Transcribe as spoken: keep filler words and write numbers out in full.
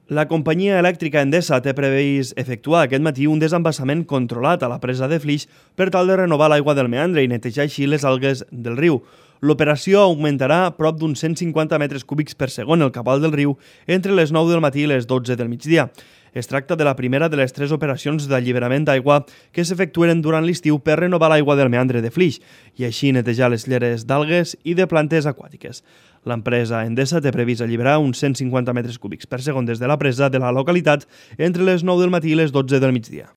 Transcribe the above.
La companyia elèctrica Endesa té previst efectuar aquest matí un desembassament controlat a la presa de Flix per tal de renovar l'aigua del meandre i netejar així les algues del riu. L'operació augmentarà prop d'uns cent cinquanta metres cúbics per segon el cabal del riu entre les nou del matí i les dotze del migdia. Es tracta de la primera de les tres operacions d'alliberament d'aigua que s'efectuen durant l'estiu per renovar l'aigua del meandre de Flix i així netejar les lleres d'algues i de plantes aquàtiques. L'empresa Endesa té previst alliberar uns cent cinquanta metres cúbics per segon des de la presa de la localitat entre les nou del matí i les dotze del migdia.